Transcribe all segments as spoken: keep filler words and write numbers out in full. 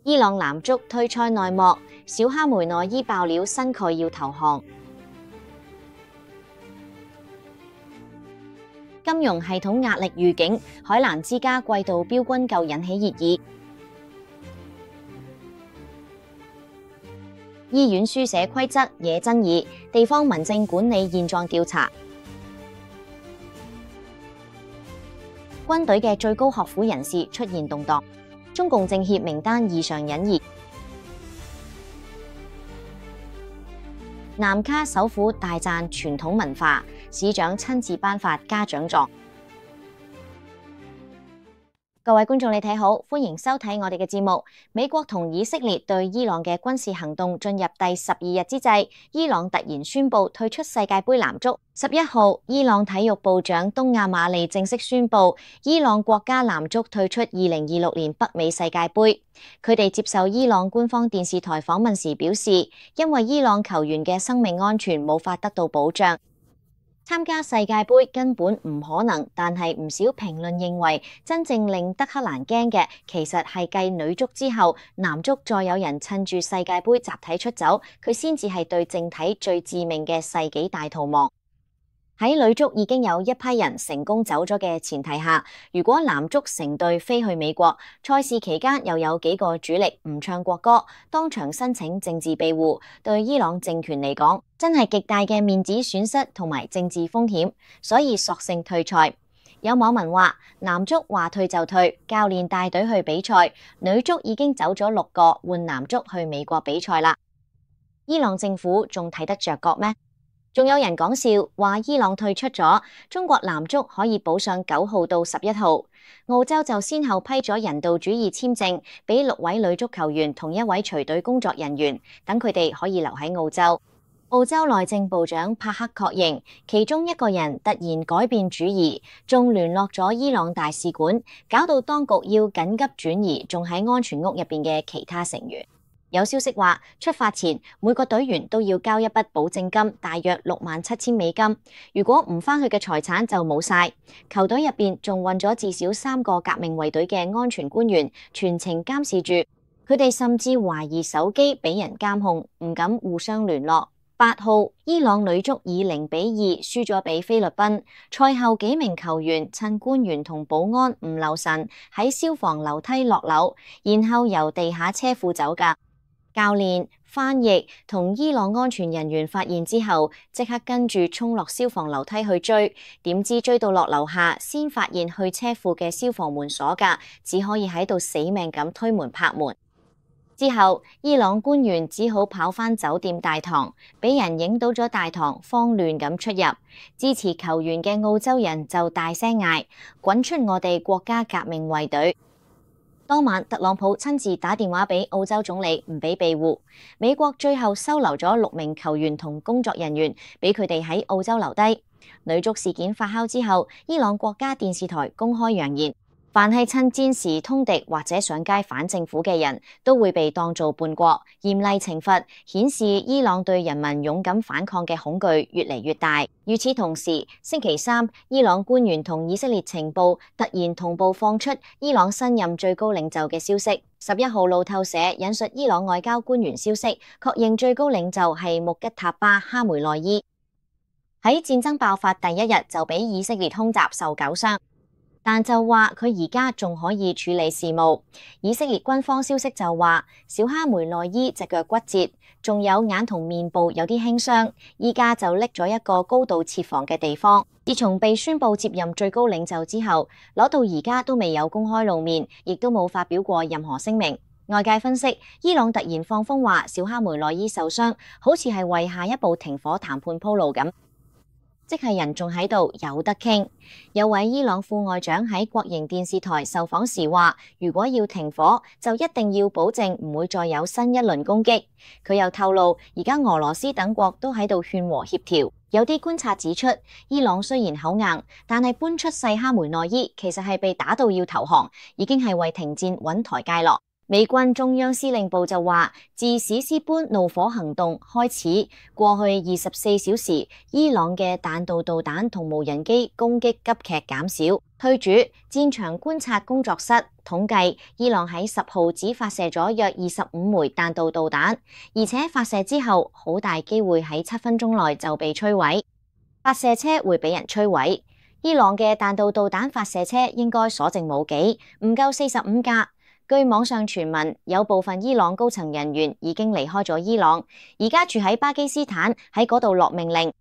伊朗男足退賽內幕，小哈梅內伊爆料新蓋要投降。金融系統壓力預警，海瀾之家季度標軍購引起熱議。醫院書寫規則惹爭議，地方民政管理現狀調查。軍隊嘅最高學府人士出現動盪，中共政協名單異常隱異。南卡首府大讚傳統文化，市長親自頒發嘉獎狀。各位觀眾，你睇好，歡迎收睇我哋嘅節目。美國同以色列對伊朗嘅軍事行動進入第十二日之際，伊朗突然宣布退出世界盃男足。十一號，伊朗體育部長東亞馬利正式宣布，伊朗國家男足退出二零二六年北美世界盃。佢哋接受伊朗官方電視台訪問時表示，因為伊朗球員嘅生命安全無法得到保障，參加世界盃根本唔可能。但係唔少評論認為，真正令德黑蘭驚嘅，其實係繼女足之後，男足再有人趁住世界盃集體出走，佢先至係對政體最致命嘅世紀大逃亡。喺女足已經有一批人成功走咗嘅前提下，如果男足成隊飛去美國，賽事期間又有幾個主力唔唱國歌，當場申請政治庇護，對伊朗政權嚟講，真係極大嘅面子損失同埋政治風險，所以索性退賽。有網民話，男足話退就退，教練帶隊去比賽，女足已經走咗六個，換男足去美國比賽啦。伊朗政府仲睇得着角咩？仲有人講笑話，伊朗退出咗，中國男足可以補上九號到十一號。澳洲就先後批咗人道主義簽證俾六位女足球員同一位隨隊工作人員，等佢哋可以留喺澳洲。澳洲內政部長帕克確認，其中一個人突然改變主意，仲聯絡咗伊朗大使館，搞到當局要緊急轉移仲喺安全屋入邊嘅其他成員。有消息話，出發前每個隊員都要交一筆保證金，大約六萬七千美金。如果唔返去嘅財產就冇晒。球隊入邊仲運咗至少三個革命衛隊嘅安全官員，全程監視住。佢哋甚至懷疑手機俾人監控，唔敢互相聯絡。八號，伊朗女足以零比二輸咗俾菲律賓。賽後幾名球員趁官員同保安唔留神，喺消防樓梯落樓，然後由地下車庫走㗎。教練、翻譯同伊朗安全人員發現之後，即刻跟住衝落消防樓梯去追，點知追到落樓下，先發現去車庫嘅消防門鎖㗎，只可以喺度死命咁推門拍門。之後，伊朗官員只好跑返酒店大堂，俾人影到咗大堂慌亂咁出入。支持球員嘅澳洲人就大聲嗌：滾出我哋國家革命衛隊！當晚，特朗普親自打電話俾澳洲總理，唔俾庇護。美國最後收留咗六名球員同工作人員，俾佢哋喺澳洲留低。女足事件發酵之後，伊朗國家電視台公開揚言，凡係趁戰時通敵或者上街反政府嘅人，都會被當做叛國，嚴厲懲罰，顯示伊朗對人民勇敢反抗嘅恐懼越嚟越大。與此同時，星期三，伊朗官員同以色列情報突然同步放出伊朗新任最高領袖嘅消息。十一號路透社引述伊朗外交官員消息，確認最高領袖係穆吉塔巴哈梅內伊。喺戰爭爆發第一日就俾以色列空襲受九傷。但就話佢而家仲可以處理事務。以色列軍方消息就話，小哈梅內伊隻腳骨折，仲有眼同面部有啲輕傷，依家就拎咗一個高度設防嘅地方。自從被宣布接任最高領袖之後，攞到而家都未有公開露面，亦都冇發表過任何聲明。外界分析，伊朗突然放風話小哈梅內伊受傷，好似係為下一步停火談判鋪路咁。即係人仲喺度有得傾。有位伊朗副外長喺國營電視台受訪時話，如果要停火，就一定要保證唔會再有新一輪攻擊。佢又透露，而家俄羅斯等國都喺度勸和協調。有啲觀察指出，伊朗雖然口硬，但係搬出細哈梅內伊其實係被打到要投降，已經係為停戰揾台階落。美軍中央司令部就話，自史詩般怒火行動開始，過去二十四小時，伊朗嘅彈道導彈同無人機攻擊急劇減少。推主戰場觀察工作室統計，伊朗喺十號只發射咗約二十五枚彈道導彈，而且發射之後好大機會喺七分鐘內就被摧毀。發射車會俾人摧毀。伊朗嘅彈道導彈發射車應該所剩無幾，唔夠四十五架。據網上傳聞，有部分伊朗高層人員已經離開咗伊朗，而家住喺巴基斯坦，喺嗰度落命令。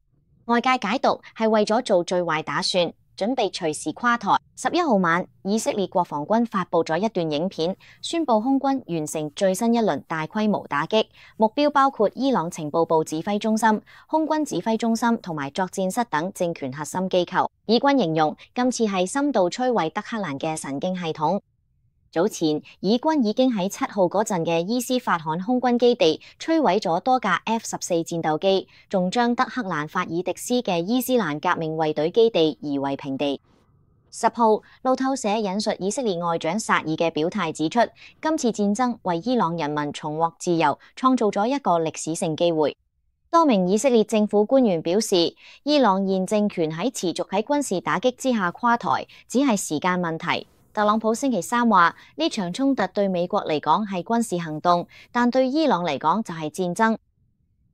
外界解讀係為咗做最壞打算，準備隨時垮台。十一號晚，以色列國防軍發布咗一段影片，宣布空軍完成最新一輪大規模打擊，目標包括伊朗情報部指揮中心、空軍指揮中心同埋作戰室等政權核心機構。以軍形容今次係深度摧毀德黑蘭嘅神經系統。早前，以軍已經喺七號嗰陣嘅伊斯法罕空軍基地摧毀咗多架 F 十四戰鬥機，仲將德黑蘭法爾迪斯嘅伊斯蘭革命衛隊基地夷為平地。十號，路透社引述以色列外長薩爾嘅表態指出，今次戰爭為伊朗人民重獲自由創造咗一個歷史性機會。多名以色列政府官員表示，伊朗現政權喺持續喺軍事打擊之下垮台，只係時間問題。特朗普星期三話，呢場衝突對美國嚟講係軍事行動，但對伊朗嚟講就係戰爭。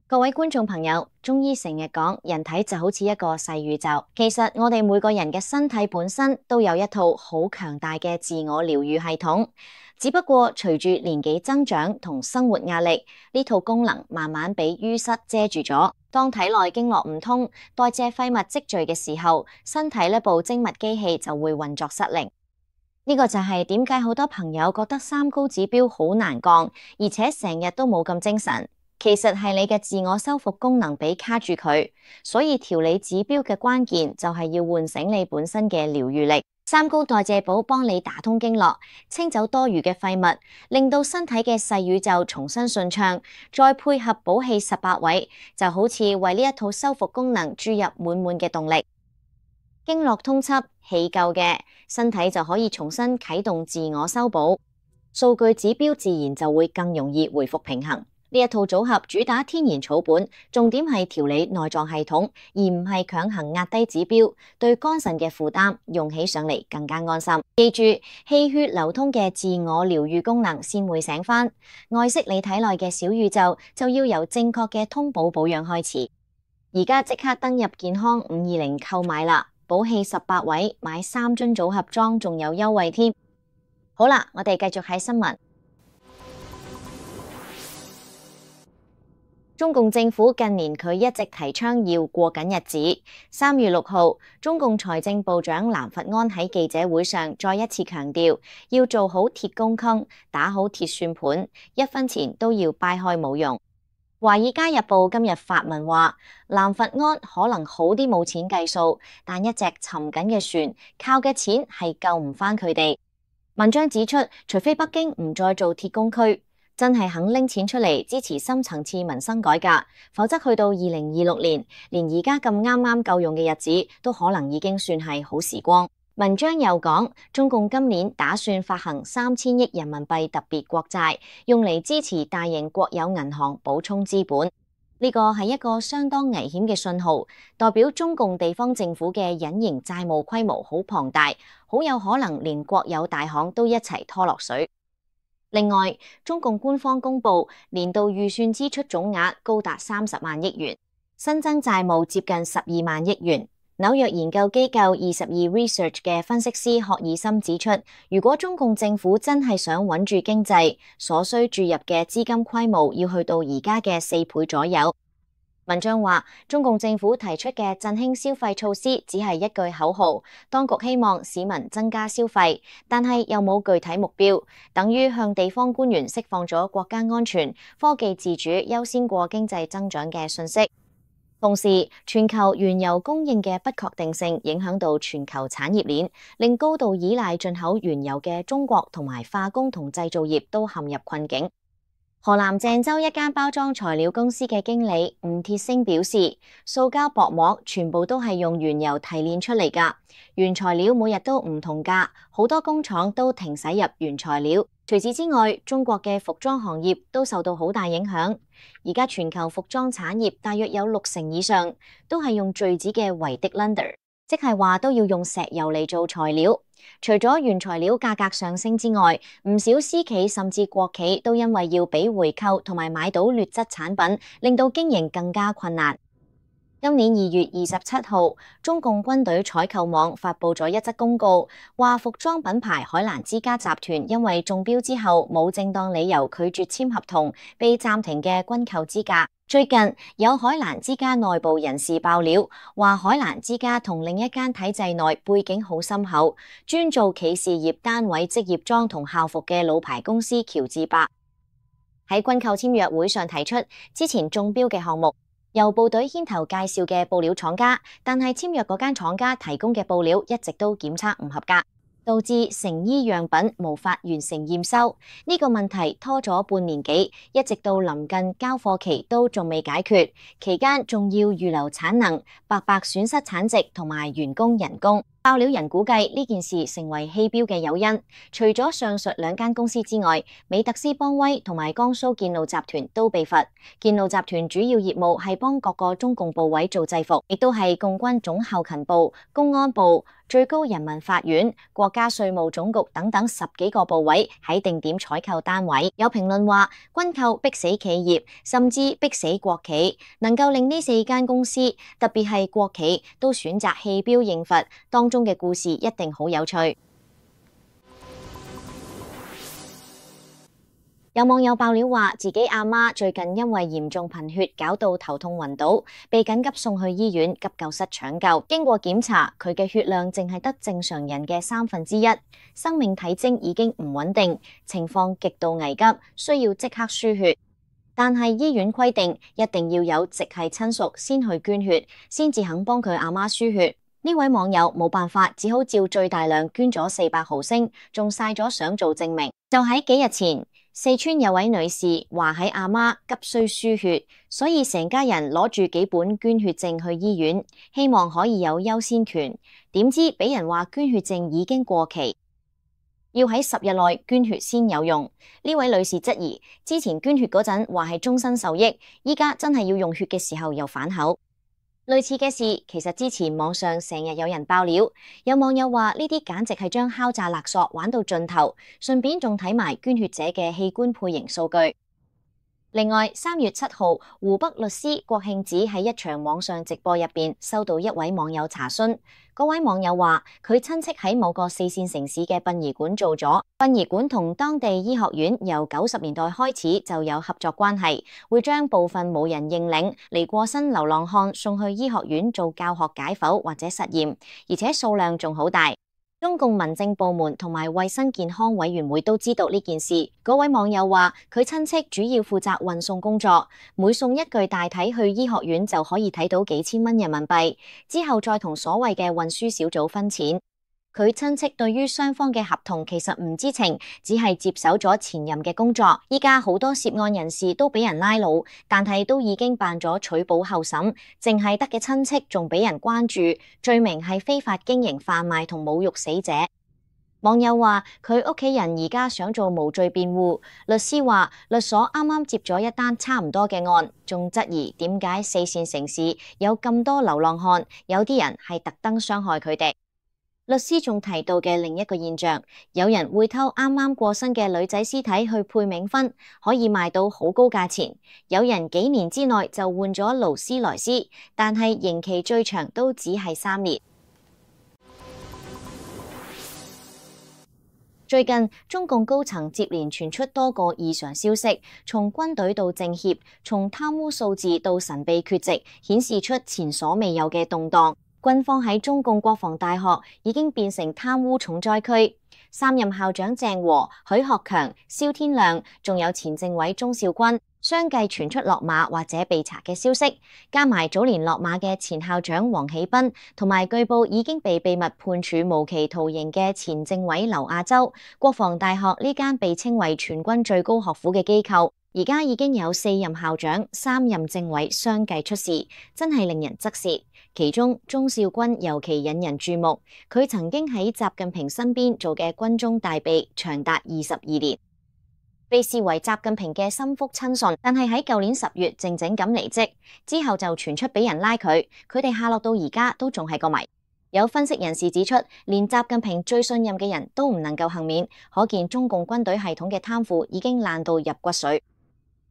各位觀眾朋友，中醫成日講人體就好似一個細宇宙，其實我哋每個人嘅身體本身都有一套好強大嘅自我療愈系統，只不過隨住年紀增長同生活壓力，呢套功能慢慢被淤塞遮住咗。當體內經絡唔通，代謝廢物積聚嘅時候，身體呢部精密機器就會運作失靈。呢個就係點解好多朋友覺得三高指標好難降，而且成日都冇咁精神。其實係你嘅自我修復功能俾卡住佢，所以調理指標嘅關鍵就係要喚醒你本身嘅療愈力。三高代謝寶幫你打通經絡，清走多餘嘅廢物，令到身體嘅細宇宙重新順暢，再配合補氣十八位，就好似為呢一套修復功能注入滿滿嘅動力。經絡通緝，氣夠嘅，身體就可以重新啟動自我修補，數據指標自然就會更容易回復平衡。呢一套組合主打天然草本，重點係調理內臟系統，而唔係強行壓低指標，對肝腎嘅負擔用起上嚟更加安心。記住，氣血流通嘅自我療愈功能先會醒返，愛惜你體內嘅小宇宙，就要由正確嘅通補保養開始。而家即刻登入健康五二零購買啦！補氣十八位，買三樽組合裝仲有優惠添。好啦，我哋繼續喺新聞。中共政府近年佢一直提倡要過緊日子。三月六號，中共財政部長藍佛安喺記者會上再一次強調，要做好鐵公坑，打好鐵算盤，一分錢都要掰開冇用。《華爾街日報》今日發文話，藍佛安可能好啲冇錢計數，但一隻沉緊嘅船，靠嘅錢係救唔返佢哋。文章指出，除非北京唔再做鐵公區，真係肯拎錢出嚟支持深層次民生改革，否則去到二零二六年，連而家咁啱啱夠用嘅日子，都可能已經算係好時光。文章又講，中共今年打算發行三千億人民幣特別國債，用嚟支持大型國有銀行補充資本。呢個係一個相當危險嘅信號，代表中共地方政府嘅隱形債務規模好龐大，好有可能連國有大行都一齊拖落水。另外，中共官方公布年度預算支出總額高達三十萬億元，新增債務接近十二萬億元。紐約研究機構二十二 Research 嘅分析師霍爾森指出，如果中共政府真係想穩住經濟，所需注入嘅資金規模要去到而家嘅四倍左右。文章話，中共政府提出嘅振興消費措施只係一句口號，當局希望市民增加消費，但係又冇具體目標，等於向地方官員釋放咗國家安全、科技自主優先過經濟增長嘅信息。同時，全球原油供應嘅不確定性影響到全球產業鏈，令高度依賴進口原油嘅中國同埋化工同製造業都陷入困境。河南鄭州一間包裝材料公司嘅經理吳鐵星表示，塑膠薄膜全部都係用原油提煉出嚟㗎，原材料每日都唔同價，好多工廠都停駛入原材料。除此之外，中國嘅服裝行業都受到好大影響。而家全球服裝產業大約有六成以上都係用聚酯嘅維的 Lander。即係話都要用石油嚟做材料。除咗原材料價格上升之外，唔少私企甚至國企都因為要俾回扣同埋買到劣質產品，令到經營更加困難。今年二月二十七號，中共軍隊採購網發佈咗一則公告，話服裝品牌海瀾之家集團因為中標之後冇正當理由拒絕簽合同，被暫停嘅軍購資格。最近有海瀾之家內部人士爆料，話海瀾之家同另一間體制內背景好深厚、專做企事業單位職業裝同校服嘅老牌公司喬治白喺軍購簽約會上提出之前中標嘅項目，由部隊牽頭介紹嘅布料廠家，但係簽約嗰間廠家提供嘅布料一直都檢測唔合格，導致成衣樣品無法完成驗收。呢個問題拖咗半年幾，一直到臨近交貨期都仲未解決，期間仲要預留產能，白白損失產值同埋員工人工。爆料人估計呢件事成為棄標嘅誘因，除咗上述兩間公司之外，美特斯邦威同埋江蘇建路集團都被罰。建路集團主要業務係幫各個中共部委做制服，亦都係共軍總後勤部、公安部、最高人民法院、國家稅務總局等等十幾個部委喺定點採購單位。有評論話，軍購逼死企業，甚至逼死國企，能夠令呢四間公司，特別係國企，都選擇棄標應罰，當中嘅故事一定好有趣。有網友爆料話，自己阿媽最近因為嚴重貧血，搞到頭痛暈倒，被緊急送去醫院急救室搶救。經過檢查，佢嘅血量淨係得正常人嘅三分之一，生命體徵已經唔穩定，情況極度危急，需要即刻輸血。但係醫院規定，一定要有直系親屬先去捐血，先至肯幫佢阿媽輸血。呢位網友冇辦法，只好照最大量捐咗四百毫升，仲晒咗相做證明。就喺幾日前，四川有位女士話喺阿媽急需輸血，所以成家人攞住幾本捐血證去醫院，希望可以有優先權。點知俾人話捐血證已經過期，要喺十日內捐血先有用。呢位女士質疑，之前捐血嗰陣話係終身受益，依家真係要用血嘅時候又反口。類似嘅事，其實之前網上成日有人爆料，有網友話呢啲簡直係將敲詐勒索玩到盡頭，順便仲睇埋捐血者嘅器官配型數據。另外，三月七號，湖北律師郭慶子喺一場網上直播入邊收到一位網友查詢，嗰位網友話佢親戚喺某個四線城市嘅殯儀館做咗，殯儀館同當地醫學院由九十年代開始就有合作關係，會將部分冇人認領離過身流浪漢送去醫學院做教學解剖或者實驗，而且數量仲好大。中共民政部門同埋衛生健康委員會都知道呢件事。嗰位網友話佢親戚主要負責運送工作，每送一具大體去醫學院就可以睇到幾千蚊人民幣，之後再同所謂嘅運輸小組分錢。佢親戚對於雙方嘅合同其實唔知情，只係接手咗前任嘅工作。依家好多涉案人士都俾人拉攏，但係都已經辦咗取保候審，淨係得嘅親戚仲俾人關注，罪名係非法經營販賣同侮辱死者。網友話佢屋企人而家想做無罪辯護，律師話律所啱啱接咗一單差唔多嘅案，仲質疑點解四線城市有咁多流浪漢，有啲人係特登傷害佢哋。律師仲提到嘅另一個現象，有人會偷啱啱過身嘅女仔屍體去配冥婚，可以賣到好高價錢。有人幾年之內就換咗勞斯萊斯，但係刑期最長都只係三年。最近中共高層接連傳出多個異常消息，從軍隊到政協，從貪污數字到神秘缺席，顯示出前所未有嘅動盪。軍方喺中共國防大學已經變成貪污重災區，三任校長鄭和、許學強、蕭天亮，仲有前政委鍾肇軍，相繼傳出落馬或者被查嘅消息，加埋早年落馬嘅前校長王喜斌，同埋據報已經被秘密判處無期徒刑嘅前政委劉亞洲，國防大學呢間被稱為全軍最高學府嘅機構，而家已經有四任校長、三任政委相繼出事，真係令人側舌。其中鍾肇軍尤其引人注目，佢曾經喺習近平身邊做嘅軍中大秘長達二十二年，被視為習近平嘅心腹親信。但係喺舊年十月靜靜咁離職之後，就傳出俾人拉佢，佢哋下落到而家都仲係個謎。有分析人士指出，連習近平最信任嘅人都唔能夠幸免，可見中共軍隊系統嘅貪腐已經爛到入骨髓。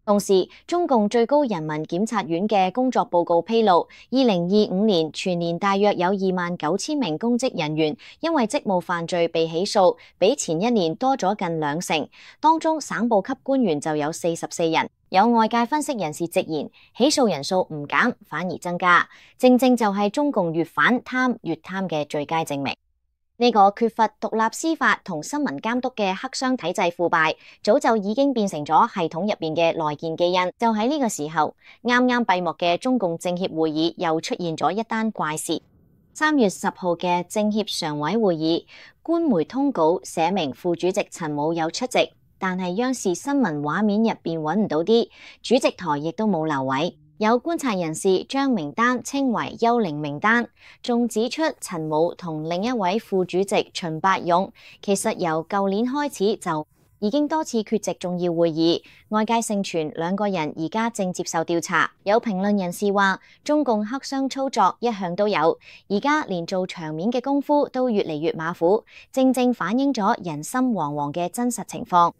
同時，中共最高人民檢察院嘅工作報告披露，二零二五年全年大約有二萬九千名公職人員因為職務犯罪被起訴，比前一年多咗近兩成。當中省部級官員就有四十四人。有外界分析人士直言，起訴人數唔減，反而增加，正正就係中共越反貪越貪嘅最佳證明。呢個缺乏獨立司法同新聞監督嘅黑箱體制腐敗，早就已經變成咗系統入邊嘅內建基因。就喺呢個時候，啱啱閉幕嘅中共政協會議又出現咗一單怪事。三月十號嘅政協常委會議，官媒通稿寫明副主席陳武有出席，但係央視新聞畫面入邊揾唔到啲，主席台亦都冇留位。有觀察人士將名單稱為幽靈名單，仲指出陳武同另一位副主席秦伯勇其實由舊年開始就已經多次缺席重要會議，外界盛傳兩個人而家正接受調查。有評論人士話，中共黑箱操作一向都有，而家連做場面嘅功夫都越嚟越馬虎，正正反映咗人心惶惶嘅真實情況。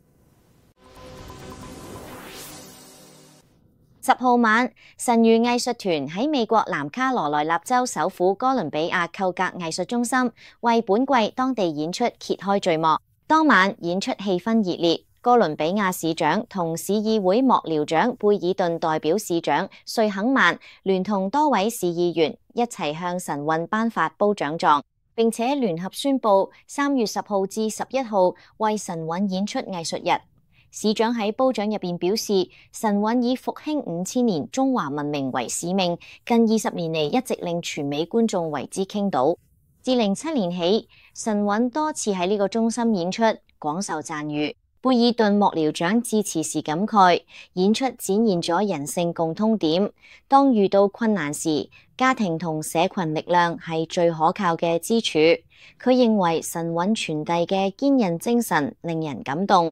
十號晚，神諭藝術團喺美國南卡羅來納州首府哥倫比亞寇格藝術中心為本季當地演出揭開序幕。當晚演出氣氛熱烈，哥倫比亞市長同市議會幕僚長貝爾頓代表市長瑞肯曼聯同多位市議員一齊向神韻頒發褒獎狀，並且聯合宣布三月十號至十一號為神韻演出藝術日。市長喺褒獎入邊表示，神韻以復興五千年中華文明為使命，近二十年嚟一直令全美觀眾為之傾倒。自零七年起，神韻多次喺呢個中心演出，廣受讚譽。貝爾頓幕僚長致辭時感慨，演出展現咗人性共通點。當遇到困難時，家庭同社群力量係最可靠嘅支柱。佢認為神韻傳遞嘅堅韌精神令人感動。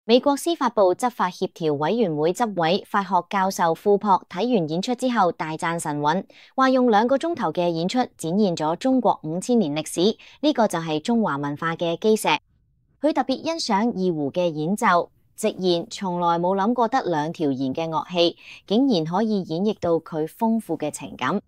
美國司法部執法協調委員會執委法學教授庫珀睇完演出之後大讚神韻，話用兩個鐘頭嘅演出展現咗中國五千年歷史，呢個就係中華文化嘅基石。佢特別欣賞二胡嘅演奏，直言從來冇諗過得兩條弦嘅樂器，竟然可以演繹到佢豐富嘅情感。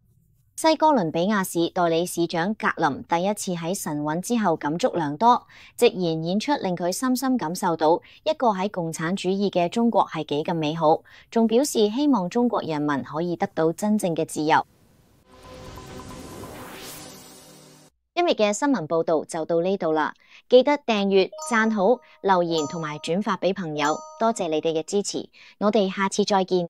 西哥倫比亞市代理市長格林第一次喺神韻之後感觸良多，直言演出令佢深深感受到一個喺共產主義嘅中國係幾咁美好，仲表示希望中國人民可以得到真正嘅自由。今日嘅新聞報道就到呢度啦，記得訂閱、讚好、留言同埋轉發俾朋友，多謝你哋嘅支持，我哋下次再見。